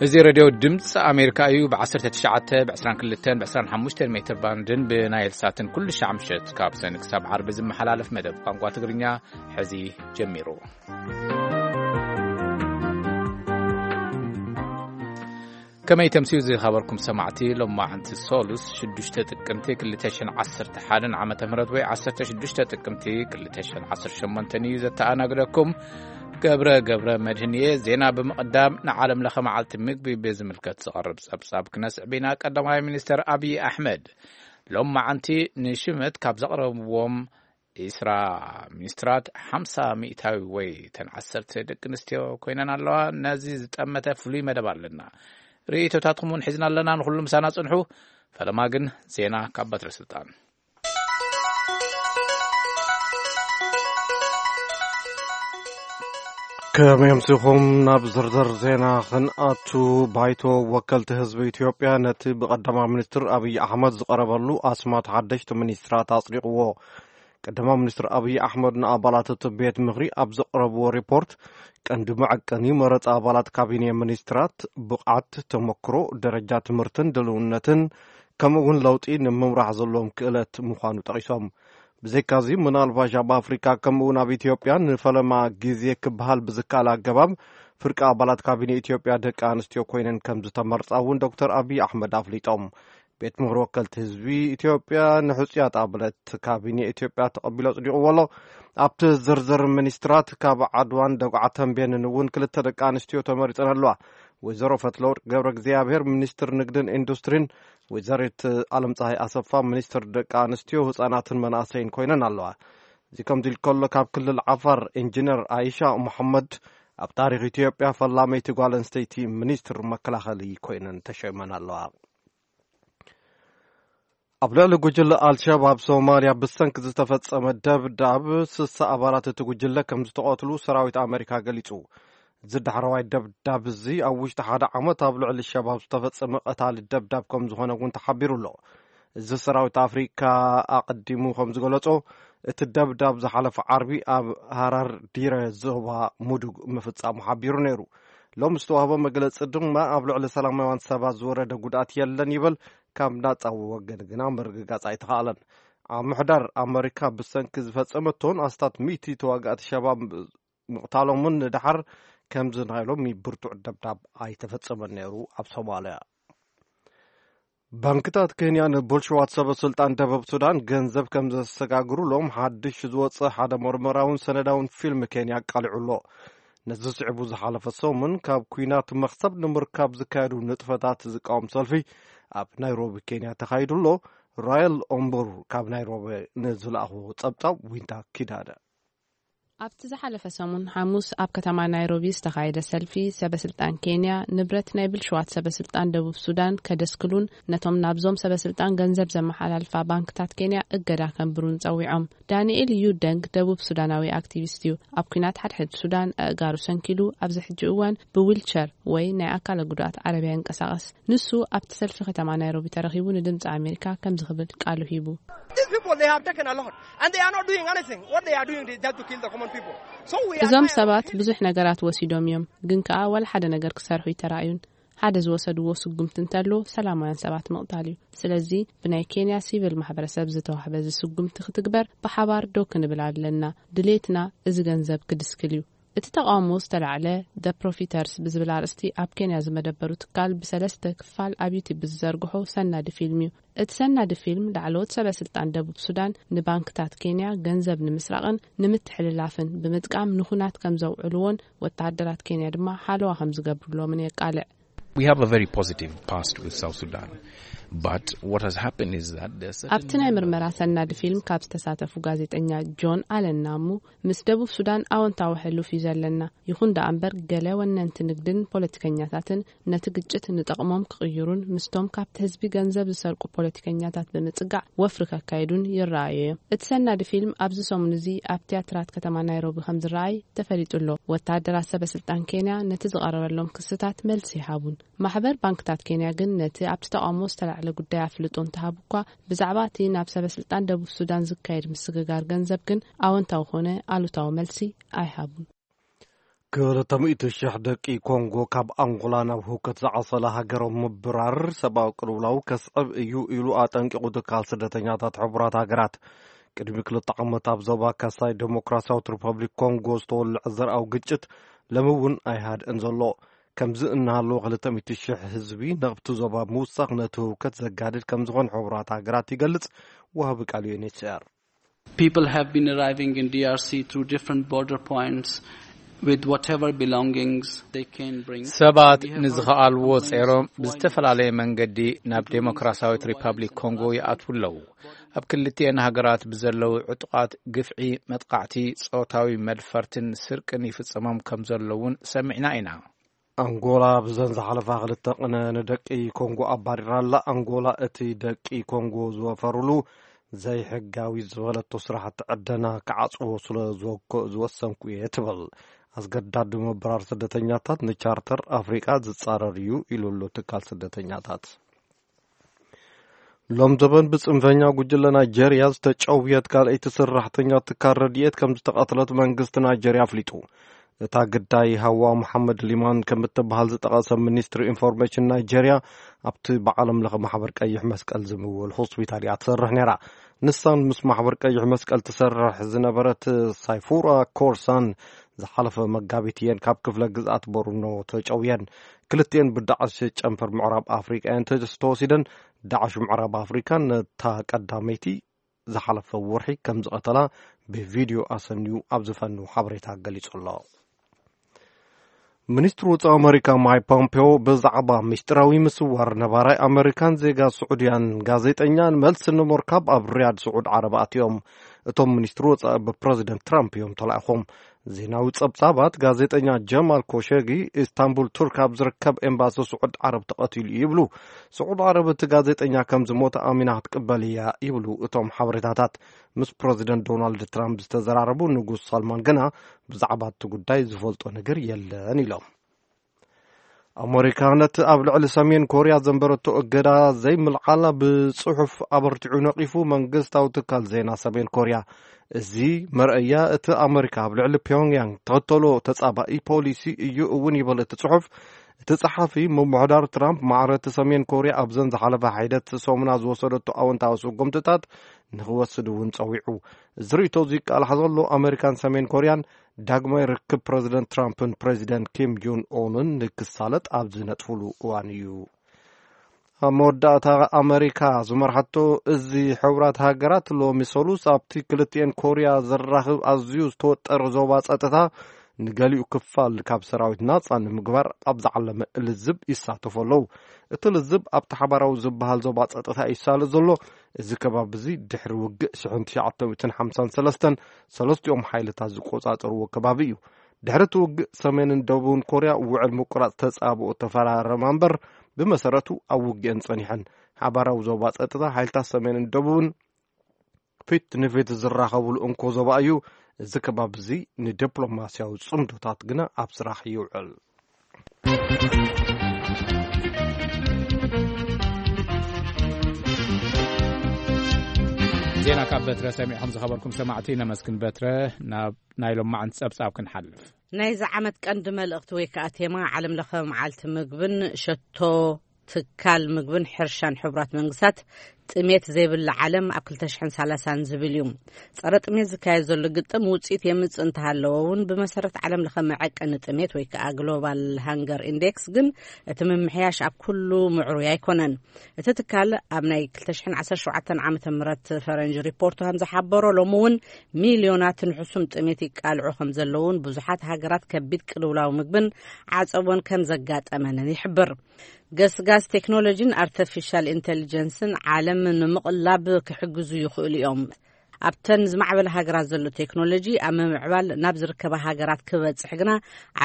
እዚ ሬድዮ ድምፂ ኣሜሪካ እዩ። ብ19፣ ብ22፣ ብ25 ሜትር ባንድን ብናይል ሳትን ኩሉ ሻዕ ምሸት ካብ ሰኒ ክሳብ ዓርቢ ዝመሓላለፍ መደብ ቋንቋ ትግርኛ ሕዚ ጀሚሩ። ከመይ ተምስዩ ዝኸበርኩም ሰማዕቲ፣ ሎማዓንቲ ሶሉስ ሽዱሽተ ጥቅምቲ ክልተ ሽሕን ዓሰርተ ሓደን ዓመተ ምህረት ወይ ዓሰርተ ሽዱሽተ ጥቅምቲ ክልተ ሽሕን ዓሰርተ ሸሞንተን እዩ። ዘተኣናግደኩም ገብረ ገብረ መድህን እየ። ዜና ብምቕዳም ንዓለም ለኸ መዓልቲ ምግቢ ብዝምልከት ዝቐርብ ጸብጻብ ክነስዕብ ኢና። ቀዳማይ ሚኒስተር ኣብይ ኣሕመድ ሎማዓንቲ ንሽመት ካብ ዘቕረብዎም ዒስራ ሚኒስትራት ሓምሳ ሚእታዊ ወይ ተን ዓሰርተ ደቂ ኣንስትዮ ኮይነን ኣለዋ። ነዚ ዝጠመተ ፍሉይ መደብ ኣለና። ርእይቶታትኩም እውን ሒዝና ኣለና። ንኹሉ ምሳና ጽንሑ። ፈለማ ግን ዜና ካብ በትረ ስልጣን። ከመይ ኣምሲኹም? ናብ ዝርዝር ዜና ክንኣቱ፣ ባይቶ ወከልቲ ህዝቢ ኢትዮጵያ ነቲ ብቀዳማይ ሚኒስትር ኣብይ ኣሕመድ ዝቐረበሉ ኣስማት ሓደሽቲ ሚኒስትራት ኣጽዲቕዎ። ቀዳማይ ሚኒስትር ኣብይ ኣሕመድ ንኣባላት እቲ ቤት ምኽሪ ኣብ ዘቕረብዎ ሪፖርት፣ ቀንዲ መዐቀኒ መረጻ ኣባላት ካቢኔ ሚኒስትራት ብቕዓት፣ ተመክሮ፣ ደረጃ ትምህርትን ድልውነትን፣ ከምኡ እውን ለውጢ ንምምራሕ ዘለዎም ክእለት ምዃኑ ጠቒሶም። ብዘይካዚ፣ ምናልባሽ ኣብ ኣፍሪካ ከምኡ እውን ኣብ ኢትዮጵያ ንፈለማ ግዜ ክበሃል ብዝከኣል ኣገባብ ፍርቂ ኣባላት ካቢኔ ኢትዮጵያ ደቂ ኣንስትዮ ኮይነን ከም ዝተመርጻ እውን ዶክተር ኣብይ ኣሕመድ ኣፍሊጦም። ቤት ምኽሪ ወከልቲ ህዝቢ ኢትዮጵያ ንሕጹያት ኣባላት ካቢኔ ኢትዮጵያ ተቐቢሉ ኣጽዲቕዎ ኣሎ። ኣብቲ ዝርዝር ሚኒስትራት ካብ ዓድዋን ደጉዓ ተንቤንን እውን ክልተ ደቂ ኣንስትዮ ተመሪጸን ኣለዋ። ወይዘሮ ፈትለወርቅ ገብረ እግዚኣብሔር ሚኒስትር ንግድን ኢንዱስትሪን፣ ወይዘሪት ኣለም ፀሃይ ኣሰፋ ሚኒስትር ደቂ ኣንስትዮ፣ ህፃናትን መናእሰይን ኮይነን ኣለዋ። እዚ ከምዚ ኢሉ ከሎ፣ ካብ ክልል ዓፋር ኢንጂነር ኣይሻ መሐመድ ኣብ ታሪኽ ኢትዮጵያ ፈላመይቲ ጓል ኣንስተይቲ ሚኒስትር መከላኸሊ ኮይነን ተሸይመን ኣለዋ። ኣብ ልዕሊ ጉጅለ ኣልሸባብ ሶማልያ ብሰንኪ ዝተፈጸመ ደብዳብ፣ ስሳ ኣባላት እቲ ጉጅለ ከም ዝተቐትሉ ሰራዊት ኣመሪካ ገሊጹ። እዚ ዳሕረዋይ ደብዳብ እዚ ኣብ ውሽጢ ሓደ ዓመት ኣብ ልዕሊ ሸባብ ዝተፈጸመ ቀታሊ ደብዳብ ከም ዝኾነ እውን ተሓቢሩ ኣሎ። እዚ ሰራዊት ኣፍሪካ ኣቐዲሙ ከም ዝገለጾ፣ እቲ ደብዳብ ዝሓለፈ ዓርቢ ኣብ ሃራር ዲረ ዞባ ሙዱግ ምፍጻሙ ሓቢሩ ነይሩ። ሎም ዝተዋህበ መግለጺ ድማ፣ ኣብ ልዕሊ ሰላማውያን ሰባት ዝወረደ ጉድኣት የለን ይብል። ካብ ናጻ ወገን ግና ምርግጋጽ ኣይተኻእለን። ኣብ ምሕዳር ኣመሪካ ብሰንኪ ዝፈጸመቶን ኣስታት ሚእቲ ተዋጋእቲ ሸባብ ምቕታሎምን ንደሓር ከምዚ ናይ ሎሚ ብርቱዕ ደብዳብ ኣይተፈጸመን ነይሩ ኣብ ሶማልያ። ባንክታት ኬንያ ንብልሽዋት ሰበ ስልጣን ደቡብ ሱዳን ገንዘብ ከም ዘሰጋግሩሎም ሓድሽ ዝወጸ ሓደ መርመራውን ሰነዳውን ፊልም ኬንያ ኣቃሊዑ ኣሎ። ነዚ ስዒቡ ዝሓለፈ ሰሙን ካብ ኲናት መኽሰብ ንምርካብ ዝካየዱ ንጥፈታት ዝቃወም ሰልፊ ኣብ ናይሮቢ ኬንያ ተኻይዱ ኣሎ። ራየል ኦምቡር ካብ ናይሮቢ ንዝለኣኽዎ ጸብጻብ ዊንታ ኪዳነ። ኣብቲ ዝሓለፈ ሰሙን ሓሙስ ኣብ ከተማ ናይሮቢ ዝተኻየደ ሰልፊ፣ ሰበ ስልጣን ኬንያ ንብረት ናይ ብልሽዋት ሰበ ስልጣን ደቡብ ሱዳን ከደስክሉን ነቶም ናብዞም ሰበ ስልጣን ገንዘብ ዘመሓላልፋ ባንክታት ኬንያ እገዳ ከንብሩን ጸዊዖም። ዳንኤል ዩ ደንግ ደቡብ ሱዳናዊ ኣክቲቪስት እዩ። ኣብ ኲናት ሓድሕድ ሱዳን ኣእጋሩ ሰንኪሉ፣ ኣብዚ ሕጂ እዋን ብዊልቸር ወይ ናይ ኣካለ ጉድኣት ዓረብያ ይንቀሳቐስ። ንሱ ኣብቲ ሰልፊ ከተማ ናይሮቢ ተረኺቡ ንድምፂ ኣሜሪካ ከምዚ ክብል ቃሉ ሂቡ። These people, they have taken a lot, and they are not doing anything. What they are doing is just to kill the common people. So we are እዞም tired of ሰባት killing. ብዙሕ ነገራት ወሲዶም እዮም፣ ግን ከኣ ዋላ ሓደ ነገር ክሰርሑ ይተራእዩን። ሓደ ዝወሰድዎ ስጉምቲ እንተሎ ሰላማውያን ሰባት ምቕታል እዩ። ስለዚ ብናይ ኬንያ ሲቪል ማሕበረሰብ ዝተዋህበ እዚ ስጉምቲ ክትግበር ብሓባር ደው ክንብል ኣለና። ድሌትና እዚ ገንዘብ ክድስክል እዩ። እቲ ተቓውሞ ዝተላዕለ The Profiteers ብዝብል ኣርእስቲ ኣብ ኬንያ ዝመደበሩ ትካል ብሰለስተ ክፋል ኣብ ዩቲብ ብዝዘርግሖ ሰናዲ ፊልም እዩ። እቲ ሰናዲ ፊልም ላዕለዎት ሰበ ስልጣን ደቡብ ሱዳን ንባንክታት ኬንያ ገንዘብ ንምስራቕን ንምትሕልላፍን ብምጥቃም ንኹናት ከም ዘውዕልዎን ወተሃደራት ኬንያ ድማ ሓለዋ ከም ዝገብሩሎምን የቃልዕ። We have a very positive past with South Sudan, but what has happened is that there are ኣብቲ ናይ ምርመራ ሰናዲ ፊልም ካብ ዝተሳተፉ ጋዜጠኛ ጆን ኣለናሙ፣ ምስ ደቡብ ሱዳን ኣወንታዊ ሕሉፍ እዩ ዘለና። ይኹን ደኣ እምበር፣ ገለ ወነንቲ ንግድን ፖለቲከኛታትን ነቲ ግጭት ንጠቕሞም ክቕይሩን ምስቶም ካብቲ ህዝቢ ገንዘብ ዝሰርቁ ፖለቲከኛታት ብምጽጋዕ ወፍሪ ከካይዱን ይረኣዩ እዮም። እቲ ሰናዲ ፊልም ኣብዚ ሰሙን እዚ ኣብ ትያትራት ከተማ ናይሮቢ ከም ዝረኣይ ተፈሊጡ ኣሎ። ወተሃደራት ሰበ ስልጣን ኬንያ ነቲ ዝቐረበሎም ክስታት መልሲ ይሃቡን። ማሕበር ባንክታት ኬንያ ግን ነቲ ኣብቲ ተቓውሞ ዝተላዕለ ጉዳይ ኣፍልጦ እንተሃቡ እኳ፣ ብዛዕባ እቲ ናብ ሰበ ስልጣን ደቡብ ሱዳን ዝካየድ ምስግጋር ገንዘብ ግን ኣወንታዊ ኮነ ኣሉታዊ መልሲ ኣይሃቡን። ክልተ ሚእቲ ሽሕ ደቂ ኮንጎ ካብ ኣንጎላ ናብ ህውከት ዝዓሰለ ሃገሮም ምብራር ሰብኣዊ ቅልውላው ከስዕብ እዩ ኢሉ ኣጠንቂቑ ትካል ስደተኛታት ሕቡራት ሃገራት። ቅድሚ ክልተ ዓመት ኣብ ዞባ ካሳይ ዴሞክራሲያዊት ሪፐብሊክ ኮንጎ ዝተወልዐ ዘርኣዊ ግጭት ሎሚ እውን ኣይሃድእን ዘሎ። ከምዚ እናሃለወ ክልተ ሚእቲ ሽሕ ህዝቢ ናብቲ ዞባ ምውሳኽ ነቲ ህውከት ዘጋድድ ከም ዝኾነ ሕቡራት ሃገራት ይገልጽ። ወሃቢ ቃል ዩ ኤን ኤች ሲ ኣር። People have been arriving in D R C through different border points with whatever belongings they can bring. ሰባት ንዝኸኣልዎ ጸይሮም ብዝተፈላለየ መንገዲ ናብ ዴሞክራሲያዊት ሪፐብሊክ ኮንጎ ይኣትዉ ኣለዉ። ኣብ ክልቲኤን ሃገራት ብዘለዉ ዕጡቓት ግፍዒ፣ መጥቃዕቲ፣ ጾታዊ መድፈርትን ስርቅን ይፍጸሞም ከም ዘለዉን ሰሚዕና ኢና። ኣንጎላ ብዘን ዝሓለፋ ክልተ ቅነ ንደቂ ኮንጎ ኣባሪራ ኣላ። ኣንጎላ እቲ ደቂ ኮንጎ ዝወፈሩሉ ዘይሕጋዊ ዝበለቶ ስራሕቲ ዕደና ክዓጽዎ ስለ ዝወሰንኩ እየ ትብል። ኣስገዳዲ ምብራር ስደተኛታት ንቻርተር ኣፍሪቃ ዝጻረር እዩ ኢሉ ኣሎ ትካል ስደተኛታት። ሎም ዘበን ብጽንፈኛ ጉጅለ ናይጀርያ ዝተጨውየት ካልኣይቲ ሰራሕተኛ ትካል ረድኤት ከም ዝተቐትለት መንግስቲ ናይጀርያ ኣፍሊጡ። እታ ግዳይ ሃዋ መሓመድ ሊማን ከም እትበሃል ዝጠቐሰ ሚኒስትሪ ኢንፎርሜሽን ናይጀርያ፣ ኣብቲ ብዓለም ለኸ ማሕበር ቀይሕ መስቀል ዝምወል ሆስፒታል እያ ትሰርሕ ነይራ። ንሳን ምስ ማሕበር ቀይሕ መስቀል ትሰርሕ ዝነበረት ሳይፉራ ኮርሳን ዝሓለፈ መጋቢት እየን ካብ ክፍለ ግዝኣት ቦርኖ ተጨውየን። ክልቲኤን ብዳዕሽ ጨንፈር ምዕራብ ኣፍሪቃ እየን ተወሲደን። ዳዕሽ ምዕራብ ኣፍሪካ ነታ ቀዳመይቲ ዝሓለፈ ወርሒ ከም ዝቐተላ ብቪድዮ ኣሰንዩ ኣብ ዝፈኑ ሓበሬታ ገሊጹ ኣሎ። ሚኒስትሪ ወጻኢ ኣመሪካ ማይክ ፖምፔዮ ብዛዕባ ምስጢራዊ ምስዋር ነባራይ ኣመሪካን ዜጋ ስዑድያን ጋዜጠኛን መልሲ ንምርካብ ኣብ ሪያድ ስዑድ ዓረብ ኣትዮም። እቶም ሚኒስትሪ ወጻኢ ብፕረዚደንት ትራምፕ እዮም ተላኢኾም። ዜናዊ ጸብጻባት፣ ጋዜጠኛ ጀማል ኮሸጊ ኢስታንቡል ቱርክ ኣብ ዝርከብ ኤምባሲ ስዑድ ዓረብ ተቐቲሉ ይብሉ። ስዑድ ዓረብ እቲ ጋዜጠኛ ከም ዝሞተ ኣሚና ክትቅበል እያ ይብሉ እቶም ሓበሬታታት። ምስ ፕረዚደንት ዶናልድ ትራምፕ ዝተዘራረቡ ንጉስ ሳልማን ግና ብዛዕባ እቲ ጉዳይ ዝፈልጦ ነገር የለን ኢሎም። ኣመሪካ ነቲ ኣብ ልዕሊ ሰሜን ኮርያ ዘንበረቶ እገዳ ዘይምልዓላ ብጽሑፍ ኣበርቲዑ ነቒፉ መንግስታዊ ትካል ዜና ሰሜን ኮርያ። እዚ መርኣያ እቲ ኣመሪካ ኣብ ልዕሊ ፒዮንግያንግ ተኸተሎ ተጻባኢ ፖሊሲ እዩ እውን ይብል እቲ ጽሑፍ። እቲ ጸሓፊ፣ ምምሕዳር ትራምፕ ማዕረ እቲ ሰሜን ኮርያ ኣብዘን ዝሓለፋ ሒደት ሰሙና ዝወሰደቶ ኣወንታዊ ስጉምትታት ንኽወስድ እውን ጸዊዑ። እዚ ርእይቶ እዚ ይቃላሕ ዘሎ ኣመሪካን ሰሜን ኮርያን ዳግማይ ርክብ ፕረዚደንት ትራምፕን ፕረዚደንት ኪም ጆን ኡንን ንክሳለጥ ኣብ ዝነጥፍሉ እዋን እዩ። ኣብ መወዳእታ ኣመሪካ ዝመርሓቶ እዚ ሕቡራት ሃገራት ሎሚ ሰሉስ ኣብቲ ክልቲኤን ኮርያ ዘራኽብ ኣዝዩ ዝተወጠረ ዞባ ጸጥታ ንገሊኡ ክፋል ካብ ሰራዊት ናጻ ንምግባር ኣብ ዝዓለመ ልዝብ ይሳተፉ ኣለዉ። እቲ ልዝብ ኣብቲ ሓባራዊ ዝበሃል ዞባ ጸጥታ ይሳለጥ ዘሎ። እዚ ከባቢ እዚ ድሕሪ ውግእ ሽሕን ትሽዓተ ሚእትን ሓምሳን ሰለስተን ሰለስቲኦም ሓይልታት ዝቆጻጸርዎ ከባቢ እዩ። ድሕሪ እቲ ውግእ ሰሜንን ደቡብን ኮርያ ውዕል ምቁራጽ ተጻብኦ ተፈራረማ እምበር ብመሰረቱ ኣብ ውግእን ጸኒሐን። ሓባራዊ ዞባ ጸጥታ ሓይልታት ሰሜንን ደቡብን ፊት ንፊት ዝራኸብሉ እንኮ ዞባ እዩ። እዚ ከባቢ እዚ ንዲፕሎማስያዊ ጽምዶታት ግና ኣብ ስራሕ ይውዕል። ዜና ካብ በትረ ሰሚዕኹም ዝኸበርኩም ሰማዕቲ ነመስግን። በትረ፣ ናብ ናይ ሎማዓንቲ ጸብጻብ ክንሓልፍ። ናይዚ ዓመት ቀንዲ መልእኽቲ ወይ ከኣ ቴማ ዓለም ለኸ መዓልቲ ምግብን ሸቶ ትካል ምግብን ሕርሻን ሕቡራት መንግስታት ጥሜት ዘይብላ ዓለም ኣብ ክልተ ሽሕን ሰላሳን ዝብል እዩ። ጸረ ጥሜት ዝካየድ ዘሎ ግጥም ውጽኢት የምጽእ እንተሃለወ እውን ብመሰረት ዓለም ለኸ መዐቀኒ ጥሜት ወይ ከኣ ግሎባል ሃንገር ኢንዴክስ ግን እቲ ምምሕያሽ ኣብ ኩሉ ምዕሩይ ኣይኮነን። እቲ ትካል ኣብ ናይ ክልተ ሽሕን ዓሰርተ ሸውዓተን ዓመተ ምህረት ፈረንጂ ሪፖርቱ ከም ዝሓበሮ ሎሚ እውን ሚልዮናት ንሕሱም ጥሜት ይቃልዑ ከም ዘለውን ብዙሓት ሃገራት ከቢድ ቅልውላው ምግብን ዓጸቦን ከም ዘጋጠመንን ይሕብር። ገስጋስ ቴክኖሎጂን ኣርተፊሻል ኢንተሊጀንስን ዓለም ንምቕላብ ክሕግዙ ይኽእሉ እዮም። ኣብተን ዝማዕበለ ሃገራት ዘሎ ቴክኖሎጂ ኣብ ምምዕባል ናብ ዝርከባ ሃገራት ክበጽሕ ግና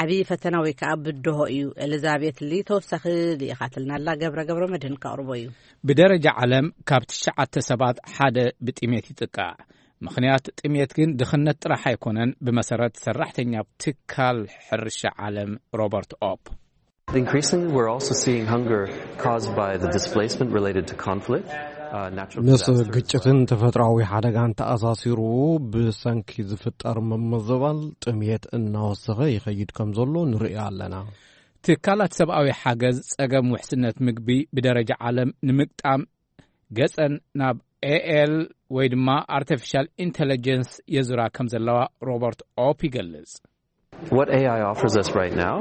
ዓብዪ ፈተና ወይ ከዓ ብድሆ እዩ። ኤሊዛቤት ሊ ተወሳኺ ልኢኻትልና ኣላ። ገብረ ገብረ መድህን ከቕርቦ እዩ። ብደረጃ ዓለም ካብ ትሽዓተ ሰባት ሓደ ብጥሜት ይጥቃዕ። ምኽንያት ጥሜት ግን ድኽነት ጥራሕ ኣይኮነን፣ ብመሰረት ሰራሕተኛ ትካል ሕርሻ ዓለም ሮበርት ኦፕ። Increasingly, we're also seeing hunger caused by the displacement related to conflict. uh, natural ምስ disasters. ግጭትን ተፈጥሮኣዊ ሓደጋን ተኣሳሲሩ ብሰንኪ ዝፍጠር ምምዝባል ጥምየት እናወሰኸ ይኸይድ ከም ዘሎ ንርኢ ኣለና። ትካላት ሰብኣዊ ሓገዝ ጸገም ውሕስነት ምግቢ ብደረጃ ዓለም ንምግጣም ገጸን ናብ ኤኤል ወይ ድማ ኣርቲፊሻል ኢንተለጀንስ የዙራ ከም ዘለዋ ሮበርት ኦፕ ይገልጽ። What A I offers us right now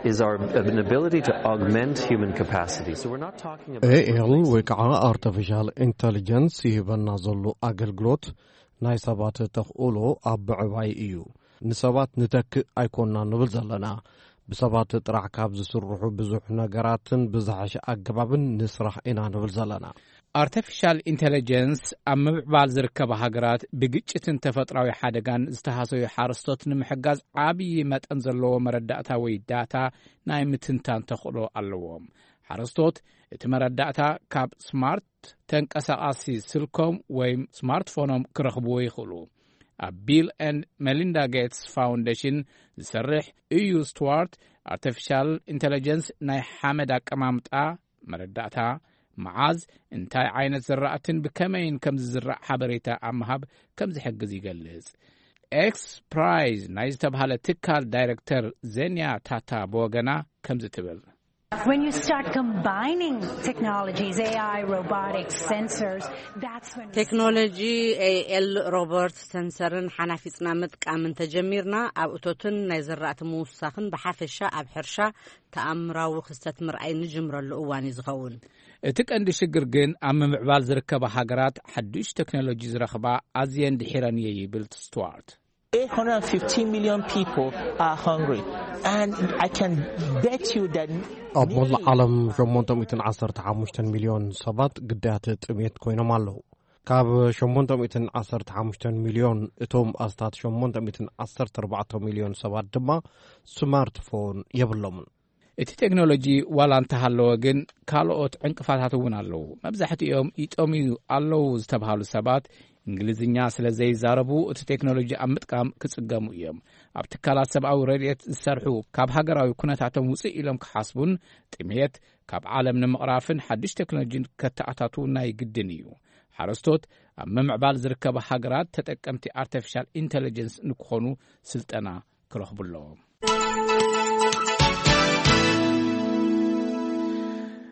is our an ability to augment human capacity. So we're not talking about ኤኤል ወይ ከዓ ኣርቲፊሻል ኢንተሊጀንስ ይህበና ዘሎ ኣገልግሎት ናይ ሰባት ተኽእሎ ኣብ ምዕባይ እዩ። ንሰባት ንተክእ ኣይኮና ንብል ዘለና። ብሰባት ጥራሕ ካብ ዝስርሑ ብዙሕ ነገራትን ብዝሓሸ ኣገባብን ንስራሕ ኢና ንብል ዘለና። ኣርቲፊሻል ኢንተለጀንስ ኣብ ምምዕባል ዝርከባ ሃገራት ብግጭትን ተፈጥራዊ ሓደጋን ዝተሃሰዩ ሓረስቶት ንምሕጋዝ ዓብዪ መጠን ዘለዎ መረዳእታ ወይ ዳታ ናይ ምትንታን ተኽእሎ ኣለዎም። ሓረስቶት እቲ መረዳእታ ካብ ስማርት ተንቀሳቓሲ ስልኮም ወይ ስማርትፎኖም ክረኽብዎ ይኽእሉ። ኣብ ቢል ኤንድ ሜሊንዳ ጌትስ ፋውንዴሽን ዝሰርሕ እዩ ስቱዋርት፣ ኣርቲፊሻል ኢንተለጀንስ ናይ ሓመድ ኣቀማምጣ መረዳእታ፣ መዓዝ እንታይ ዓይነት ዝራእትን ብከመይን ከም ዝዝራእ ሓበሬታ ኣብ ምሃብ ከም ዝሕግዝ ይገልጽ። ኤክስ ፕራይዝ ናይ ዝተብሃለ ትካል ዳይሬክተር ዜንያ ታታ ብወገና ከምዚ ትብል። When you start combining technologies, A I, robotics, sensors, that's when we see ቴክኖሎጂ ኤኤል፣ ሮቦት፣ ሰንሰርን ሓናፊጽና ምጥቃም እንተጀሚርና፣ ኣብ እቶትን ናይ ዝራእቲ ምውሳኽን ብሓፈሻ ኣብ ሕርሻ ተኣምራዊ ክስተት ምርኣይ ንጅምረሉ እዋን እዩ ዝኸውን። እቲ ቀንዲ ሽግር ግን ኣብ ምምዕባል ዝርከባ ሃገራት ሓዱሽ ቴክኖሎጂ ዝረኽባ ኣዝየን ድሒረን እየ ይብል ስቱዋርት። Eight hundred fifty million people are hungry. And I can bet you that ኣብ መላእ ዓለም ሸሞንተ ሚእትን ዓሰርተ ሓሙሽተን ሚልዮን ሰባት ግዳያት ጥሜት ኮይኖም ኣለዉ። ካብ ሸሞንተ ሚእትን ዓሰርተ ሓሙሽተን ሚልዮን እቶም ኣስታት ሸሞንተ ሚእትን ዓሰርተ ኣርባዕተ ሚልዮን ሰባት ድማ ስማርትፎን የብሎምን። እቲ ቴክኖሎጂ ዋላ እንተሃለወ ግን ካልኦት ዕንቅፋታት እውን ኣለዉ። መብዛሕትኦም ይጠምዩ ኣለዉ ዝተብሃሉ ሰባት እንግሊዝኛ ስለ ዘይዛረቡ እቲ ቴክኖሎጂ ኣብ ምጥቃም ክጽገሙ እዮም። ኣብ ትካላት ሰብኣዊ ረድኤት ዝሰርሑ ካብ ሃገራዊ ኩነታቶም ውፅእ ኢሎም ክሓስቡን ጥሜት ካብ ዓለም ንምቕራፍን ሓድሽ ቴክኖሎጂ ከተኣታትዉ ናይ ግድን እዩ። ሓረስቶት ኣብ ምምዕባል ዝርከባ ሃገራት ተጠቀምቲ ኣርቲፊሻል ኢንተለጀንስ ንክኾኑ ስልጠና ክረኽቡ ኣለዎም።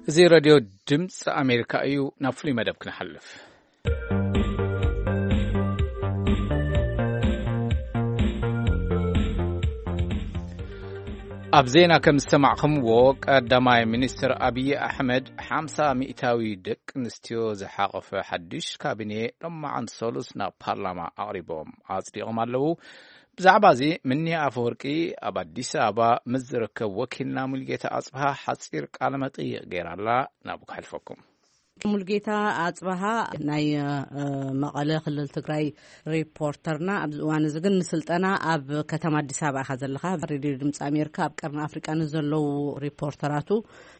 እዚ ሬድዮ ድምፂ ኣሜሪካ እዩ። ናብ ፍሉይ መደብ ክንሓልፍ። ኣብ ዜና ከም ዝሰማዕኹምዎ፣ ቀዳማይ ሚኒስትር ኣብዪ ኣሕመድ ሓምሳ ሚእታዊ ደቂ ኣንስትዮ ዝሓቖፈ ሓድሽ ካቢኔ ሎማዓንቲ ሰሉስ ናብ ፓርላማ ኣቕሪቦም ኣጽዲቖም ኣለዉ። ብዛዕባ እዚ ምኒ ኣፈወርቂ ኣብ ኣዲስ ኣበባ ምስ ዝርከብ ወኪልና ሙልጌታ ኣጽብሃ ሓጺር ቃለ መጠይቕ ገይራላ፣ ናብኡ ከሕልፈኩም። ሙልጌታ ኣጽብሃ ናይ፣ እ፣ መቐለ ክልል ትግራይ ሪፖርተርና። ኣብዚ እዋን እዚ ግን ንስልጠና ኣብ ከተማ ኣዲስ ኣበባ ኢኻ ዘለኻ። ሬድዮ ድምፂ ኣሜሪካ ኣብ ቀርኒ ኣፍሪቃ ንዘለዉ ሪፖርተራቱ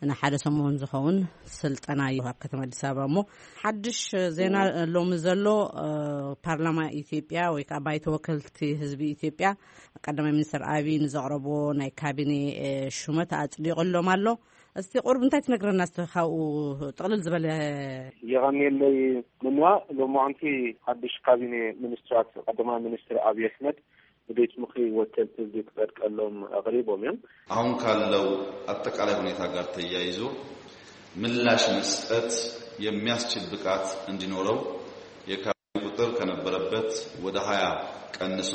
ንሓደ ሰሙን ዝኸውን ስልጠና እዩ ኣብ ከተማ ኣዲስ ኣበባ። እሞ ሓድሽ ዜና ሎሚ ዘሎ፣ እ፣ ፓርላማ ኢትዮጵያ ወይ ከዓ ባይቶ ወከልቲ ህዝቢ ኢትዮጵያ ቀዳማይ ሚኒስትር ኣብይ ንዘቕረብዎ ናይ ካቢኔ፣ እ፣ ሹመት ኣጽዲቑሎም ኣሎ። እስቲ ቁሩብ እንታይ ትነግረና? እስቲ ካብኡ ጥቕልል ዝበለ። የቐንየለይ ምንዋ። ሎማዓንቲ ሓድሽ ካቢኔ ሚኒስትራት ቀዳማይ ሚኒስትር ኣብይ ኣሕመድ ንቤት ምኽሪ ወከልቲ ህዝቢ ክጸድቀሎም ኣቕሪቦም እዮም። አሁን ካለው አጠቃላይ ሁኔታ ጋር ተያይዞ ምላሽ መስጠት የሚያስችል ብቃት እንዲኖረው የካ- ቁጥር ከነበረበት ወደ ሃያ ቀንሶ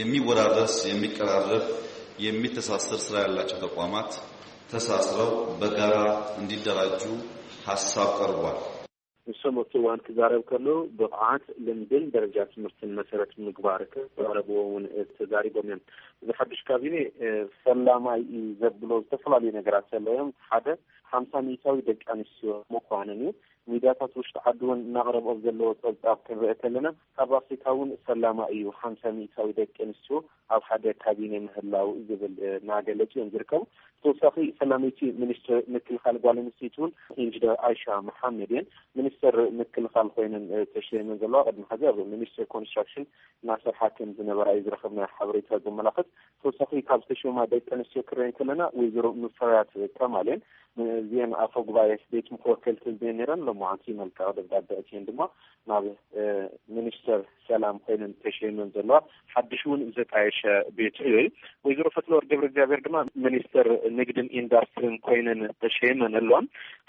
የሚወራረስ፣ የሚቀራረብ፣ የሚተሳሰር ስራ ያላቸው ተቋማት ተሳስረው በጋራ እንዲደራጁ ሀሳብ ቀርቧል። ንሶም ኣብቲ እዋን ክዛረብ ከሎ ብቕዓት፣ ልምድን ደረጃ ትምህርትን መሰረት ምግባር ከቕረብዎ እውን ተዛሪቦም እዮም። እዚ ሓዱሽ ካቢኔ፣ እ፣ ፈላማይ እዩ ዘብሎ ዝተፈላለዩ ነገራት ዘለዎም፣ ሓደ ሓምሳ ሚእታዊ ደቂ ኣንስትዮ ምዃንን እዩ። ሚድያታት ውሽጢ ዓዲ እውን እናቕረብኦ ዘለዎ ጸብጻብ ክንርኢ ከለና፣ ካብ ኣፍሪካ እውን ፈላማ እዩ፣ ሓምሳ ሚእታዊ ደቂ ኣንስትዮ ኣብ ሓደ ካቢኔ ምህላው ዝብል፣ እ፣ እናገለጹ እዮም ዝርከቡ። ብተወሳኺ ፈላመይቲ ሚኒስትር ምክልኻል ጓል ኣንስተይቲ እውን ኢንጂነር ኣይሻ መሓመድ እየን። ሚኒስትር ምክልኻል ኮይነን፣ እ፣ ተሸይመን ዘለዋ። ቅድሚ ሕዚ ኣብ ሚኒስትር ኮንስትራክሽን እናሰርሓ ከም ዝነበራ እዩ ዝረኸብናዮ ሓበሬታ ዘመላኽት። ተወሳኺ ካብ ዝተሸማ ደቂ ኣንስትዮ ክረአን ከለና ወይዘሮ ሙፈሪያት ከማል እየን። እዚአን ኣፈ ጉባኤ ቤት ምክሪ ወከልቲ ህዝቢ ነይረን፣ ሎማዓንቲ መልክዕ ደብዳቤ ኣእትየን ድማ ናብ ሚኒስተር ሰላም ኮይነን ተሸይመን ዘለዋ ሓድሽ እውን ዘጣየሸ ቤት ዕዮ እዩ። ወይዘሮ ፈትለወርቅ ገብረ እግዚኣብሔር ድማ ሚኒስተር ንግድን ኢንዳስትሪን ኮይነን ተሸይመን ኣለዋ።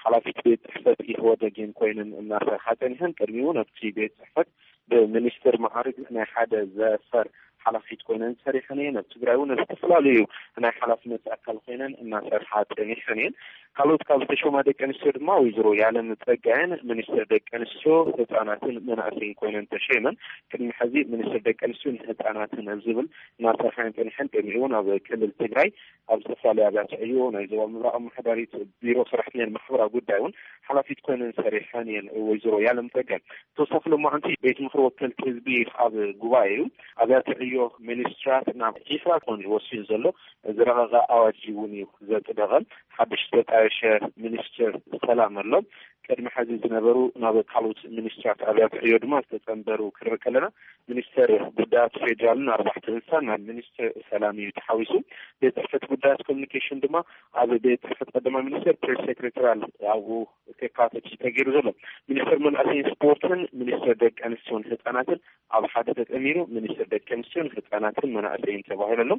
ሓላፊት ቤት ጽሕፈት ኢህወደግን ኮይነን እናሰርሓ ጸኒሐን፣ ቅድሚኡ ነቲ ቤት ጽሕፈት ብሚኒስትር ማዕርግ ናይ ሓደ ዘፈር ሓላፊት ኮይነን ሰሪሐን እየን። ኣብ ትግራይ እውን ኣብ ዝተፈላለዩ ናይ ሓላፍነት ኣካል ኮይነን እናሰርሓ ጸኒሐን እየን። ካልኦት ካብ ዝተሾማ ደቂ ኣንስትዮ ድማ ወይዘሮ ያለም ጸጋየን ሚኒስትር ደቂ ኣንስትዮ፣ ህፃናትን መናእሰይን ኮይነን ተሸይመን። ቅድሚ ሕዚ ሚኒስትር ደቂ ኣንስትዮ ንህፃናትን ኣብ ዝብል እናሰርሓ እየን ጸኒሐን። ቅድሚኡ እውን ኣብ ክልል ትግራይ ኣብ ዝተፈላለዩ ኣብያተ ዕዮ ናይ ዞባ ምብራቕ ኣመሓዳሪት ቢሮ ሰራሕተኛን ማሕበራዊ ጉዳይ እውን ሓላፊት ኮይነን ሰሪሐን እየን። ወይዘሮ ያለም ጸጋይ ተወሳኺ ሎማዓንቲ ቤት ምኽሪ ወከልቲ ህዝቢ ኣብ ጉባኤኡ ኣብያተ ዕዮ ሚኒስትራት ናብ ዒስራ ክኾኑ እዩ ወሲኑ ዘሎ። ዝረቐቐ ኣዋጅ እውን እዩ ዘጽደቐ። ሓድሽ ዝተጣየሸ ሚኒስትር ሰላም ኣሎ። ቅድሚ ሕዚ ዝነበሩ ናብ ካልኦት ሚኒስትራት ኣብያተ ዕዮ ድማ ዝተጸንበሩ ክንርኢ ከለና፣ ሚኒስተር ጉዳያት ፌዴራልን ኣርባሕቲ እንስሳን ናብ ሚኒስትር ሰላም እዩ ተሓዊሱ። ቤት ጽሕፈት ጉዳያት ኮሚኒኬሽን ድማ ኣብ ቤት ጽሕፈት ቀዳማይ ሚኒስትር ፕሬስ ሴክሬታሪያል ኣብኡ ከካተት እዩ ተገይሩ ዘሎ። ሚኒስተር መናእሰይን ስፖርትን ሚኒስተር ደቂ ኣንስትዮን ህፃናትን ኣብ ሓደ ተጠሚሩ ሚኒስተር ደቂ ኣንስትዮን ህፃናትን መናእሰይን ተባሂሉ ኣሎ።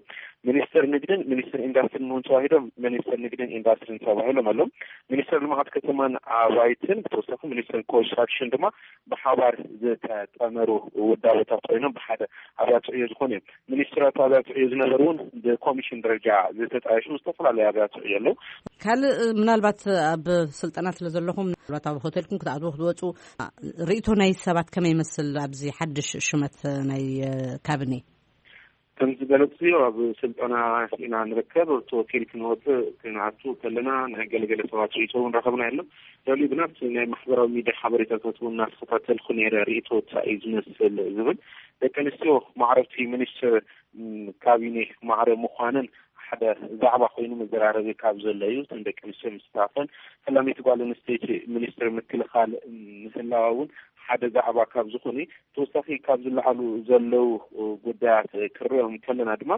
ሚኒስተር ንግድን ሚኒስተር ኢንዳስትሪን እውን ተዋሂዶም ሚኒስተር ንግድን ኢንዳስትሪን ተባሂሎም ኣለዉ። ሚኒስተር ልምዓት ከተማን ኣባይትን ብተወሳኺ ሚኒስተር ኮንስትራክሽን ድማ ብሓባር ዝተጠመሩ ውዳበታት ኮይኖም ብሓደ ኣብያተ ዕዮ ዝኾኑ እዮም። ሚኒስትራት ኣብያተ ዕዮ ዝነበሩ እውን ብኮሚሽን ደረጃ ዝተጣየሹ ዝተፈላለዩ ኣብያተ ዕዮ ኣለዉ። ካልእ ምናልባት ኣብ ስልጠና ስለ ዘለኹም ምናልባት ኣብ ሆቴልኩም ክትኣትዉ ክትወፁ ርእይቶ ናይ ሰባት ከመይ ይመስል ኣብዚ ሓድሽ ሽመት ናይ ካቢኔ? ከም ዝገለጽዮ ኣብ ስልጠና ኢና ንርከብ። ኣብቲ ሆቴል ክንወፅእ ክንኣቱ ከለና ናይ ገለገለ ሰባት ርእይቶ እውን ረኸብና ኣሎ። ልዕሊኡ ግና ኣብቲ ናይ ማሕበራዊ ሚድያ ሓበሬታታት እውን እናተኸታተልኩ ነይረ። ርእይቶ እንታይ እዩ ዝመስል ዝብል ደቂ ኣንስትዮ ማዕረብቲ ሚኒስትር ካቢኔ ማዕረ ምዃነን ሓደ ዛዕባ ኮይኑ መዘራረቢ ካብ ዘሎ እዩ። እተን ደቂ ኣንስትዮ ምስታፈን ፈላመይቲ ጓል ኣንስተይቲ ሚኒስትር ምክልኻል ምህላዋ እውን ሓደ ዛዕባ ካብ ዝኾነ ተወሳኺ ካብ ዝለዓሉ ዘለዉ ጉዳያት ክርኦም ከለና ድማ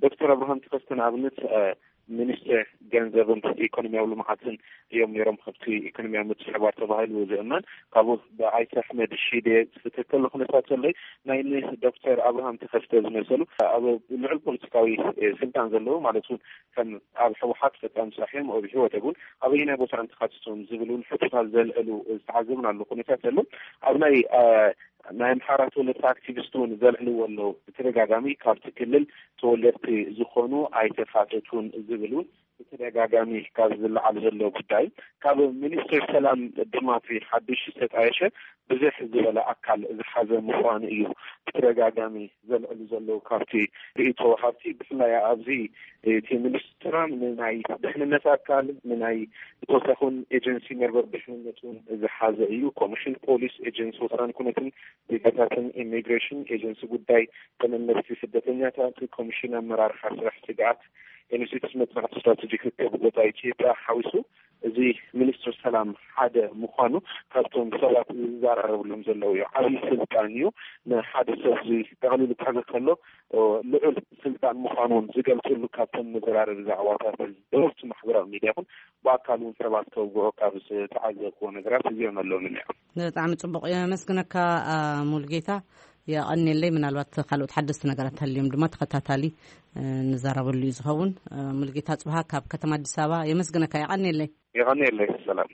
ዶክተር ኣብርሃም ተኸስተ ንኣብነት ሚኒስትር ገንዘብን ኢኮኖሚያዊ ልምዓትን እዮም ነይሮም። ካብቲ ኢኮኖሚያዊ ምትሕብባር ተባሂሉ ዝእመን ካብኡ ብኣይተ ኣሕመድ ሺዴ ክትከል ኩነታት ዘሎ ናይ ዶክተር ኣብርሃም ተኸስተ ዝመሰሉ ኣብ ልዑል ፖለቲካዊ ስልጣን ዘለዉ ማለት እውን ከም ኣብ ህወሓት ፈፃሚ ስራሕ እዮም ኣብ ህወሓት እውን ኣበየናይ ቦታ እንተካትቶም ዝብል እውን ሕቶታት ዘልዕሉ ዝተዓዘብናሉ ኩነታት ዘሎ። ኣብ ናይ ናይ ኣምሓራ ተወለድቲ ኣክቲቪስት እውን ዘልዕልዎ ኣለዉ። ብተደጋጋሚ ካብቲ ክልል ተወለድቲ ዝኾኑ ኣይተካተቱን ዝብል እውን ብተደጋጋሚ ካብ ዝለዓል ዘሎ ጉዳይ ካብ ሚኒስትር ሰላም ድማ እቲ ሓድሽ ዝተጣየሸ ብዙሕ ዝበለ ኣካል ዝሓዘ ምዃኑ እዩ ብተደጋጋሚ ዘልዕሉ ዘለዉ። ካብቲ ርእይቶ ሃብቲ ብፍላይ ኣብዚ እቲ ሚኒስትራ ንናይ ድሕንነት ኣካል ንናይ ብተወሳኺ እውን ኤጀንሲ መርበብ ድሕንነት እውን ዝሓዘ እዩ። ኮሚሽን ፖሊስ፣ ኤጀንሲ ወሰን ኩነትን ዜጋታትን፣ ኢሚግሬሽን፣ ኤጀንሲ ጉዳይ ተመለስቲ ስደተኛታት፣ ኮሚሽን ኣመራርሓ ስራሕ ስግኣት፣ ኢንስቲትዩት መጽናዕቲ ስትራቴጂክ ርክብ ዞባ ኢትዮጵያ ሓዊሱ እዚ ሚኒስትር ሰላም ሓደ ምዃኑ ካብቶም ሰባት ዝዘራረብሎም ዘለዉ እዩ። ዓብዪ ስልጣን እዩ። ንሓደ ሰብ እዚ ጠቕሊሉ ክሕዞ ከሎ ልዑል ስልጣን ምዃኑ እውን ዝገልፅሉ ካብቶም መዘራረቢ ዛዕባታት ብህብቲ ማሕበራዊ ሚድያ ይኹን ብኣካል እውን ሰባት ከውግዑ ካብ ዝተዓዘብክዎ ነገራት እዚኦም ኣለዉ። ብጣዕሚ ፅቡቕ፣ የመስግነካ ሙልጌታ። የቐንየለይ። ምናልባት ካልኦት ሓደስቲ ነገራት ተልዮም ድማ ተኸታታሊ ንዛረበሉ እዩ ዝኸውን። ሙልጌታ ፅብሃ ካብ ከተማ ኣዲስ ኣበባ፣ የመስግነካ። የቐንየለይ። የቐንየለይ። ሰላም።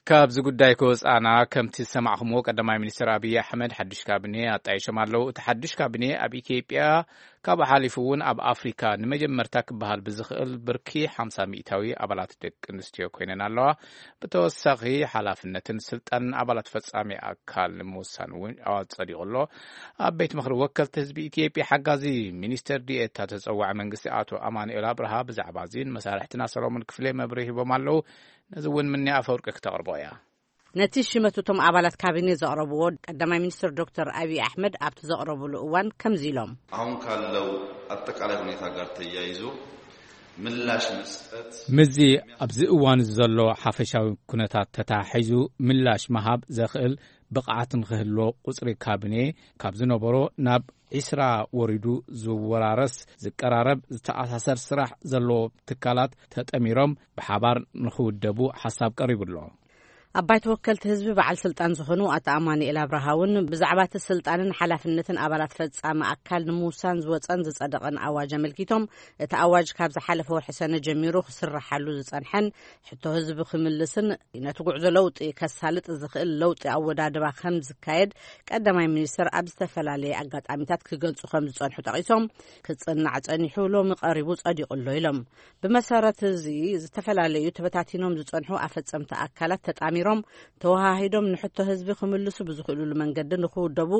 ካብዚ ጉዳይ ከወፃና፣ ከምቲ ዝሰማዕኹምዎ ቀዳማይ ሚኒስትር ኣብይ ኣሕመድ ሓዱሽ ካቢኔ ኣጣይሾም ኣለዉ። እቲ ሓዱሽ ካቢኔ ኣብ ኢትዮጵያ ካብኡ ሓሊፉ እውን ኣብ ኣፍሪካ ንመጀመርታ ክበሃል ብዝኽእል ብርኪ ሓምሳ ሚእታዊ ኣባላት ደቂ ኣንስትዮ ኮይነን ኣለዋ። ብተወሳኺ ሓላፍነትን ስልጣንን ኣባላት ፈፃሚ ኣካል ንምውሳን እውን ኣዋጅ ፀዲቑ ኣሎ። ኣብ ቤት ምኽሪ ወከልቲ ህዝቢ ኢትዮጵያ ሓጋዚ ሚኒስትር ዲኤታ ተፀዋዒ መንግስቲ ኣቶ ኣማኑኤል ኣብርሃ ብዛዕባ እዚን መሳርሕትና ሰሎሞን ክፍሌ መብርሂ ሂቦም ኣለዉ። ነዚ እውን ምንያ ኣፈወርቂ ክተቕርቦ እያ። ነቲ ሽመት እቶም ኣባላት ካቢኔ ዘቕረብዎ ቀዳማይ ሚኒስትር ዶክተር ኣብይ ኣሕመድ ኣብቲ ዘቕረብሉ እዋን ከምዚ ኢሎም። አሁን ካለው አጠቃላይ ሁኔታ ጋር ተያይዞ ምላሽ መስጠት ምስዚ ኣብዚ እዋን ዘሎ ሓፈሻዊ ኩነታት ተተሓሒዙ ምላሽ ምሃብ ዘኽእል ብቕዓት ንኽህልዎ ቁጽሪ ካቢኔ ካብ ዝነበሮ ናብ ዒስራ ወሪዱ ዝወራረስ፣ ዝቀራረብ፣ ዝተኣሳሰር ስራሕ ዘለዎ ትካላት ተጠሚሮም ብሓባር ንኽውደቡ ሓሳብ ቀሪቡ ኣሎ። ኣብ ባይቶ ወከልቲ ህዝቢ በዓል ስልጣን ዝኾኑ ኣቶ ኣማኑኤል ኣብርሃ እውን ብዛዕባ እቲ ስልጣንን ሓላፍነትን ኣባላት ፈጻሚ ኣካል ንምውሳን ዝወጸን ዝጸደቐን ኣዋጅ ኣመልኪቶም፣ እቲ ኣዋጅ ካብ ዝሓለፈ ወርሒ ሰነ ጀሚሩ ክስረሓሉ ዝጸንሐን ሕቶ ህዝቢ ክምልስን ነቲ ጉዕዞ ለውጢ ከሳልጥ ዝኽእል ለውጢ ኣወዳድባ ከም ዝካየድ ቀዳማይ ሚኒስትር ኣብ ዝተፈላለየ ኣጋጣሚታት ክገልጹ ከም ዝጸንሑ ጠቒሶም፣ ክጽናዕ ጸኒሑ ሎሚ ቀሪቡ ጸዲቑ ኣሎ ኢሎም። ብመሰረት እዚ ዝተፈላለዩ ተበታቲኖም ዝጸንሑ ኣፈጸምቲ ኣካላት ተጣሚሮም ተወሃሂዶም ንሕቶ ህዝቢ ክምልሱ ብዝኽእሉሉ መንገዲ ንኽውደቡ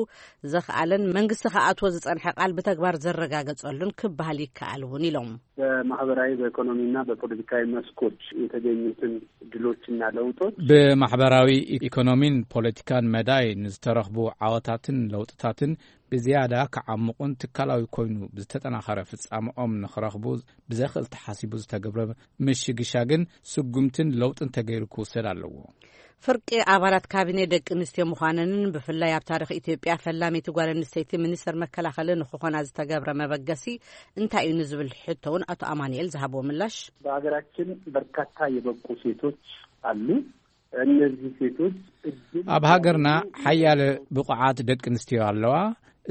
ዘኽኣለን መንግስቲ ክኣትዎ ዝጸንሐ ቃል ብተግባር ዘረጋገጸሉን ክበሃል ይከኣል እውን ኢሎም። በማህበራዊ፣ በኢኮኖሚና በፖለቲካዊ መስኮች የተገኙትን ድሎችና ለውጦች ብማሕበራዊ ኢኮኖሚን ፖለቲካን መዳይ ንዝተረኽቡ ዓወታትን ለውጥታትን ብዝያዳ ክዓምቑን ትካላዊ ኮይኑ ብዝተጠናኸረ ፍጻመኦም ንኽረኽቡ ብዘኽእል ተሓሲቡ ዝተገብረ ምሽግሻግን ስጉምትን ለውጥን ተገይሩ ክውሰድ ኣለዎ። ፍርቂ ኣባላት ካቢኔ ደቂ ኣንስትዮ ምዃነንን ብፍላይ ኣብ ታሪኽ ኢትዮጵያ ፈላመይቲ ጓል ኣንስተይቲ ሚኒስትር መከላኸሊ ንክኾና ዝተገብረ መበገሲ እንታይ እዩ ንዝብል ሕቶ እውን ኣቶ ኣማኑኤል ዝሃብዎ ምላሽ። በሀገራችን በርካታ የበቁ ሴቶች አሉ። እነዚህ ሴቶች እድል ኣብ ሃገርና ሓያለ ብቑዓት ደቂ ኣንስትዮ ኣለዋ።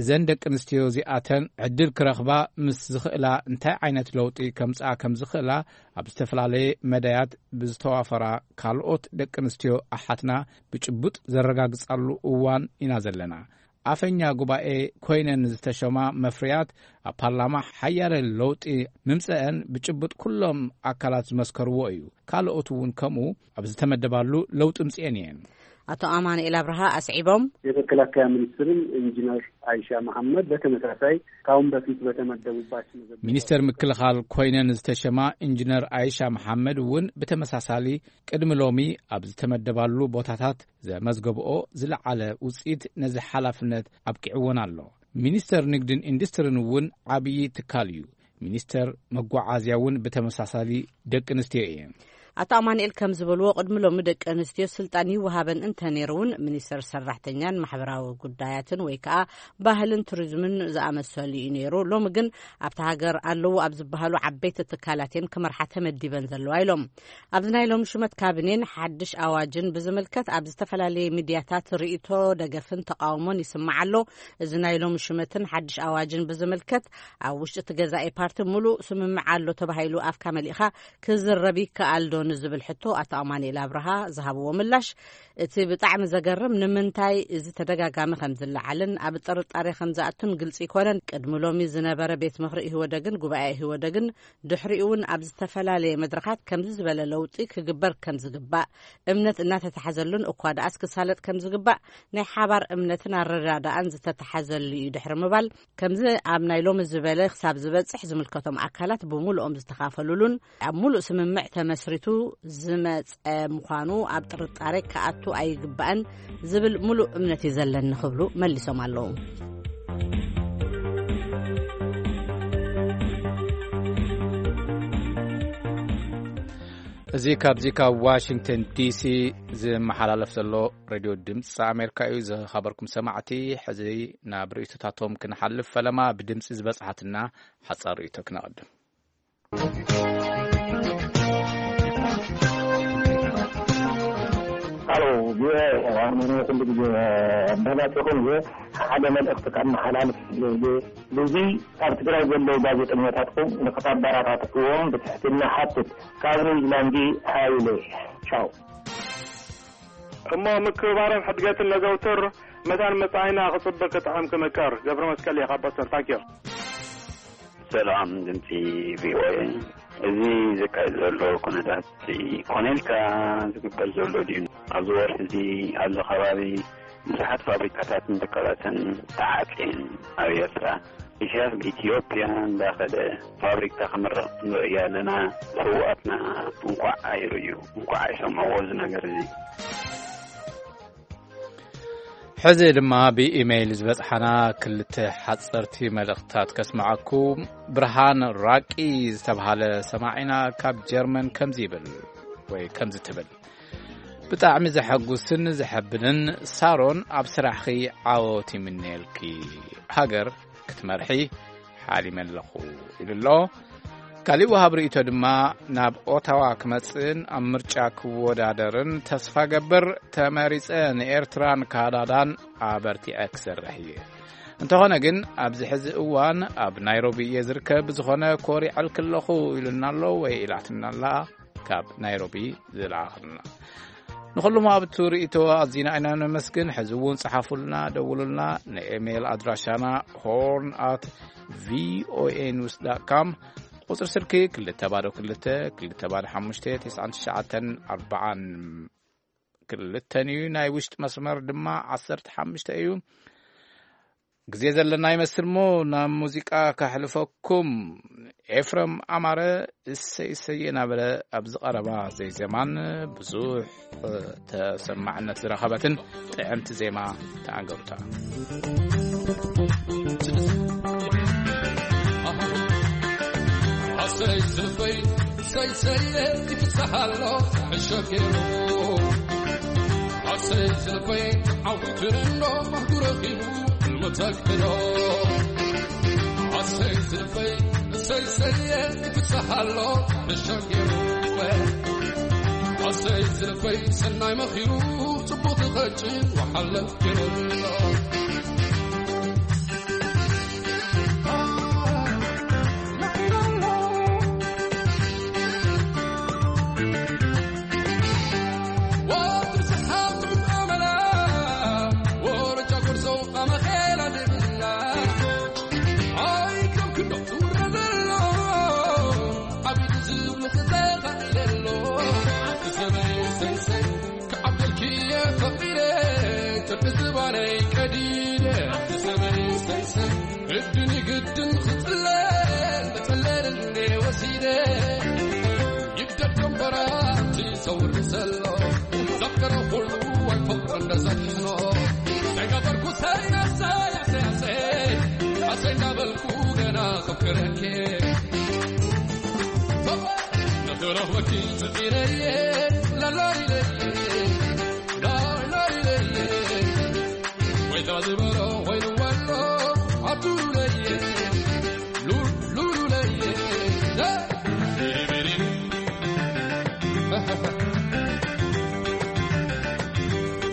እዘን ደቂ ኣንስትዮ እዚኣተን ዕድል ክረኽባ ምስ ዝኽእላ እንታይ ዓይነት ለውጢ ከምጽኣ ከም ዝኽእላ ኣብ ዝተፈላለየ መዳያት ብዝተዋፈራ ካልኦት ደቂ ኣንስትዮ ኣሓትና ብጭቡጥ ዘረጋግጻሉ እዋን ኢና ዘለና። ኣፈኛ ጉባኤ ኮይነን ዝተሸማ መፍርያት ኣብ ፓርላማ ሓያለ ለውጢ ምምጸአን ብጭቡጥ ኩሎም ኣካላት ዝመስከርዎ እዩ። ካልኦት እውን ከምኡ ኣብ ዝተመደባሉ ለውጢ ምጽኤን እየን። ኣቶ ኣማኑኤል ኣብርሃ ኣስዒቦም። የመከላከያ ሚኒስትርን ኢንጂነር አይሻ መሐመድ በተመሳሳይ ካሁን በፊት በተመደቡባቸው መዘገብ ሚኒስተር ምክልኻል ኮይነን ዝተሸማ ኢንጂነር አይሻ መሐመድ እውን ብተመሳሳሊ ቅድሚ ሎሚ ኣብ ዝተመደባሉ ቦታታት ዘመዝገብኦ ዝለዓለ ውፅኢት ነዚ ሓላፍነት ኣብቂዕዎን ኣሎ። ሚኒስተር ንግድን ኢንዱስትሪን እውን ዓብዪ ትካል እዩ። ሚኒስተር መጓዓዝያ እውን ብተመሳሳሊ ደቂ ኣንስትዮ እየን። ኣቶ ኣማኑኤል ከም ዝበልዎ ቅድሚ ሎሚ ደቂ ኣንስትዮ ስልጣን ይወሃበን እንተ ነይሩ እውን ሚኒስተር ሰራሕተኛን ማሕበራዊ ጉዳያትን ወይ ከዓ ባህልን ቱሪዝምን ዝኣመሰሉ እዩ ነይሩ። ሎሚ ግን ኣብታ ሃገር ኣለዉ ኣብ ዝበሃሉ ዓበይቲ ትካላት እየን ክመርሓ ተመዲበን ዘለዋ ኢሎም። ኣብዚ ናይ ሎሚ ሹመት ካቢኔን ሓድሽ ኣዋጅን ብዝምልከት ኣብ ዝተፈላለየ ሚድያታት ርእይቶ ደገፍን ተቃውሞን ይስማዕ ኣሎ። እዚ ናይ ሎሚ ሹመትን ሓድሽ ኣዋጅን ብዝምልከት ኣብ ውሽጢ እቲ ገዛኢ ፓርቲ ሙሉእ ስምምዕ ኣሎ ተባሂሉ ኣፍካ መሊእኻ ክዝረብ ይከኣል ዶ ንዝብል ሕቶ ኣቶ ኣማኑኤል ኣብርሃ ዝሃብዎ ምላሽ፣ እቲ ብጣዕሚ ዘገርም ንምንታይ እዚ ተደጋጋሚ ከም ዝለዓልን ኣብ ጥርጣሬ ከም ዝኣቱን ግልፂ ይኮነን። ቅድሚ ሎሚ ዝነበረ ቤት ምኽሪ ኢህወደግን ጉባኤ ኢህወደግን ድሕሪኡ እውን ኣብ ዝተፈላለየ መድረኻት ከምዚ ዝበለ ለውጢ ክግበር ከም ዝግባእ እምነት እናተተሓዘሉን እኳ ደኣስ ክሳለጥ ከም ዝግባእ ናይ ሓባር እምነትን ኣረዳዳኣን ዝተተሓዘሉ እዩ ድሕሪ ምባል፣ ከምዚ ኣብ ናይ ሎሚ ዝበለ ክሳብ ዝበጽሕ ዝምልከቶም ኣካላት ብምሉኦም ዝተኻፈሉሉን ኣብ ሙሉእ ስምምዕ ተመስሪቱ ዝመጸ ምዃኑ ኣብ ጥርጣሬ ክኣቱ ኣይግባእን ዝብል ሙሉእ እምነት እዩ ዘለኒ ክብሉ መሊሶም ኣለዉ። እዚ ካብዚ ካብ ዋሽንግተን ዲሲ ዝመሓላለፍ ዘሎ ሬድዮ ድምፂ ኣሜሪካ እዩ። ዝኸበርኩም ሰማዕቲ፣ ሕዚ ናብ ርእይቶታቶም ክንሓልፍ ፈለማ ብድምፂ ዝበፅሓትና ሓፃር ርእይቶ ክነቐድም። ሄሎ፣ ቪኦኤ፣ ኣሁን ኩሉ ግዜ ኣዳማፂኹም እየ። ሓደ መልእኽቲ ከመሓላልፍ እየ። ብዙይ ኣብ ትግራይ ዘለዉ ጋዜጠኛታትኩም ንክተበረታትዕዎም ብትሕትና ሓትት። ካብ ኒውዚላንድ ሃይለ። ቻው። እሞ ምክብባርን ሕድገትን ነዘውትር። መታን መጻኢና ክጽብቅ ክጥዕም ክምቅር። ገብረ መስቀል እየ ካብ ቦስተን። ታንኪዩ። ሰላም ድምፂ ቪኦኤ። እዚ ዝካየድ ዘሎ ኩነታት ኮነ ኢልካ ዝግበር ዘሎ ድዩ? ኣብዚ ወርሒ እዚ ኣብዚ ከባቢ ብዙሓት ፋብሪካታትን ትካላትን ተዓፅየን ኣብ ኤርትራ። ኢሳያስ ኢትዮጵያ እንዳኸደ ፋብሪካ ክምርቕ ንርኢ ኣለና። ስውኣትና እንኳዕ ኣይርእዩ፣ እንኳዕ ኣይሰምዕዎ እዚ ነገር እዚ። ሕዚ ድማ ብኢሜይል ዝበጽሓና ክልተ ሓጸርቲ መልእኽትታት ከስምዓኩም። ብርሃን ራቂ ዝተብሃለ ሰማዒና ካብ ጀርመን ከምዚ ይብል ወይ ከምዚ ትብል። ብጣዕሚ ዘሐጉስን ዘሐብንን። ሳሮን፣ ኣብ ስራሕኺ ዓወት ይምነየልኪ። ሃገር ክትመርሒ ሓሊመ ኣለኹ፣ ኢሉ ኣሎ። ካሊእ ወሃብ ርእይቶ ድማ፣ ናብ ኦታዋ ክመጽእን ኣብ ምርጫ ክወዳደርን ተስፋ ገብር፣ ተመሪጸ ንኤርትራን ካናዳን ኣበርቲዐ ክሰርሕ እየ። እንተኾነ ግን ኣብዚ ሕዚ እዋን ኣብ ናይሮቢ እየ ዝርከብ፣ ብዝኾነ ኮሪዐልኪ ኣለኹ፣ ኢሉና ኣሎ ወይ ኢላትና ኣላ። ካብ ናይሮቢ ዝለኣኽልና። ንኹሉም ኣብቲ ርእይቶ ኣዚና ኢና ነመስግን። ሕዚ እውን ጸሓፉልና፣ ደውሉልና። ንኤሜል ኣድራሻና ሆርን ኣት ቪኦኤ ኒውስ ዳት ካም፣ ቁጽሪ ስልኪ ክልተ ባዶ ክልተ፣ ክልተ ባዶ ሓሙሽተ፣ ትስዓን ትሽዓተን ኣርባዓን ክልተን እዩ። ናይ ውሽጢ መስመር ድማ ዓሰርተ ሓሙሽተ እዩ። ግዜ ዘለና ይመስል እሞ ናብ ሙዚቃ ከሕልፈኩም። ኤፍረም ኣማረ እሰይ እሰይ እናበለ ኣብዚ ቀረባ ዘይዜማን ብዙሕ ተሰማዕነት ዝረኸበትን ጥዕምቲ ዜማ ተኣንገሩታ። ኣሰይ ዝልበይ ሰይሰየ ይፍስሓሎ ሕሸገሩ ኣሰይ ዝልበይ ዓውትርኖ ማህጉረኺቡ ልመተክሎ ኣሰይ ዝልበይ ሰይሰየ ይፍስሓሎ ሕሸገሩ ኣሰይ ዝልበይ ሰናይ መኺሩ ጽቡቕ ትኸጭ ወሓለ ገረሎ ክዓብደልኪ እየ ፈቒደ፣ ጥርቂ ዝባነይ ቀዲደ። ኣንቲ ሰበይ ሰይሰይ፣ ግድን ይግድን ክጽለል፣ መጸለል እንዴ ወሲደ። ይብደድ ከንፈራ ኣንቲ ሰውሪ ዘሎ፣ ዘፍቀረ ኩሉ ኣይፈቕሮ እንደ ዘኪኖ። ሰይገበርኩ ሰይ፣ ኣሰይ፣ ኣሰይ፣ ኣሰይ፣ ኣሰይ እንዳበልኩ ገና ከፍቅረኪ። ንኽረኽበኪ ጽዒረየ፣ ላላይለየ፣ ላላይለየ። ወይታ ዝበሎ ኮይኑ ወሎ፣ ኣቱለየ፣ ሉ-፣ ሉሉለየ። ዳ-፣ ቢሪቢሪ።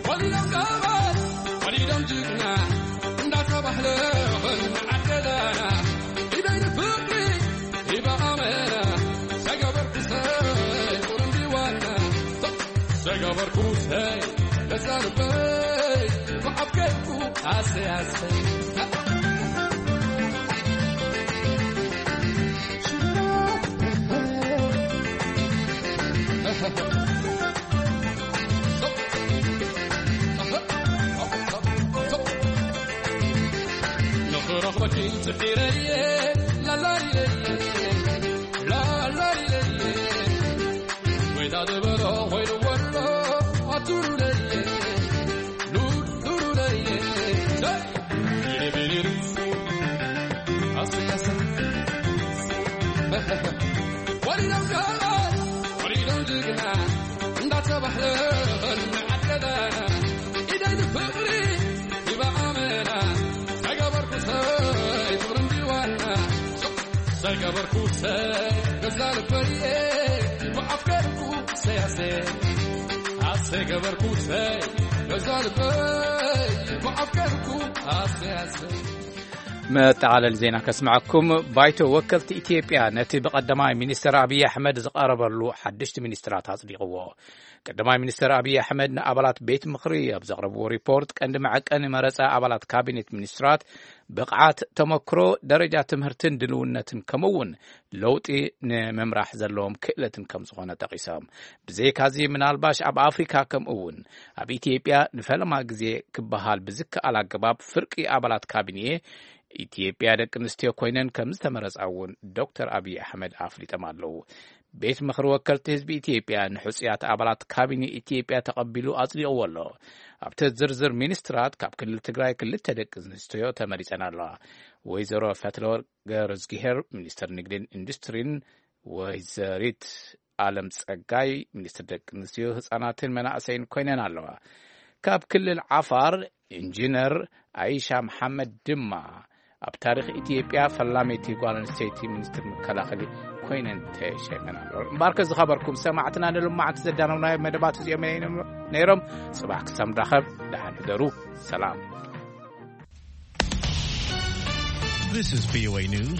ወሊዶም ገባር፣ ወሊዶም ጅግና፣ እንዳተባህለ ኾን ዓደዳና። ኢደይ ንፍቕሪ ሂባ ኣመና፣ ሰገበርኩ ሰይ ቁርምቢ ዋና፣ ሰገበርኩ ሰይ ገዛ ልበይ፣ ብዓብ ከይኩ ኣሰይ ኣሰይ። ንኽረኽበኪ ጽዒረየ፣ ላላይለየ፣ ላላይለየ። ወይታ ዝበሎ ኮይኑ ወሎ፣ ኣቱሩለየ፣ ሉ-፣ ሉሉለየ። ቢሪቢሪሪ። ኣሰይ፣ ኣሰይ። ወሊዶም ጋላት፣ ወሊዶም ጅግና፣ እንዳተባህለ ንዓደዳና። ኢደይ ንፍቕሪ ሂባ ኣመና፣ ሰገበርኩ ሰይ ፍቕሪ እንዲዋና። ሰገበርኩ ሰይ ገዛ ልበየ፣ ብኣፍቀርኩ ሰይ ኣሰይ። ኣሰይ ገበርኩ ሰይ ገዛ ልበይ፣ ብኣፍቀርኩ ኣሰይ ኣሰይ። መጠቓለሊ ዜና ከስምዐኩም። ባይቶ ወከልቲ ኢትዮጵያ ነቲ ብቐዳማይ ሚኒስተር ኣብይ ኣሕመድ ዝቐረበሉ ሓደሽቲ ሚኒስትራት ኣጽዲቕዎ። ቀዳማይ ሚኒስተር ኣብይ ኣሕመድ ንኣባላት ቤት ምኽሪ ኣብ ዘቕረብዎ ሪፖርት፣ ቀንዲ መዐቀኒ መረጻ ኣባላት ካቢኔት ሚኒስትራት ብቕዓት፣ ተመክሮ፣ ደረጃ ትምህርትን ድልውነትን፣ ከምኡ እውን ለውጢ ንምምራሕ ዘለዎም ክእለትን ከም ዝኾነ ጠቒሶም። ብዘይካዚ፣ ምናልባሽ ኣብ ኣፍሪካ ከምኡ እውን ኣብ ኢትዮጵያ ንፈለማ ግዜ ክበሃል ብዝከኣል ኣገባብ ፍርቂ ኣባላት ካቢኔ ኢትዮጵያ ደቂ ኣንስትዮ ኮይነን ከም ዝተመረጻ እውን ዶክተር ኣብይ ኣሕመድ ኣፍሊጦም ኣለዉ። ቤት ምኽሪ ወከልቲ ህዝቢ ኢትዮጵያ ንሕጹያት ኣባላት ካቢኔ ኢትዮጵያ ተቐቢሉ ኣጽዲቕዎ ኣሎ። ኣብቲ ዝርዝር ሚኒስትራት ካብ ክልል ትግራይ ክልተ ደቂ ኣንስትዮ ተመሪጸን ኣለዋ። ወይዘሮ ፈትለወርቅ ገረዝግሄር ሚኒስትር ንግድን ኢንዱስትሪን፣ ወይዘሪት ኣለም ጸጋይ ሚኒስትር ደቂ ኣንስትዮ፣ ህጻናትን መናእሰይን ኮይነን ኣለዋ። ካብ ክልል ዓፋር ኢንጂነር ኣይሻ መሓመድ ድማ ኣብ ታሪኽ ኢትዮጵያ ፈላመይቲ ጓል ኣንስተይቲ ሚኒስትር መከላኸሊ ኮይነን ተሸይመን ኣለዋ። እምበኣርከ ዝኸበርኩም ሰማዕትና፣ ንሎማዓንቲ ዘዳለውናዮ መደባት እዚኦም እዮም ነይሮም። ጽባሕ ክሳብ ንራኸብ ደሓን ሕደሩ። ሰላም። This is V O A News.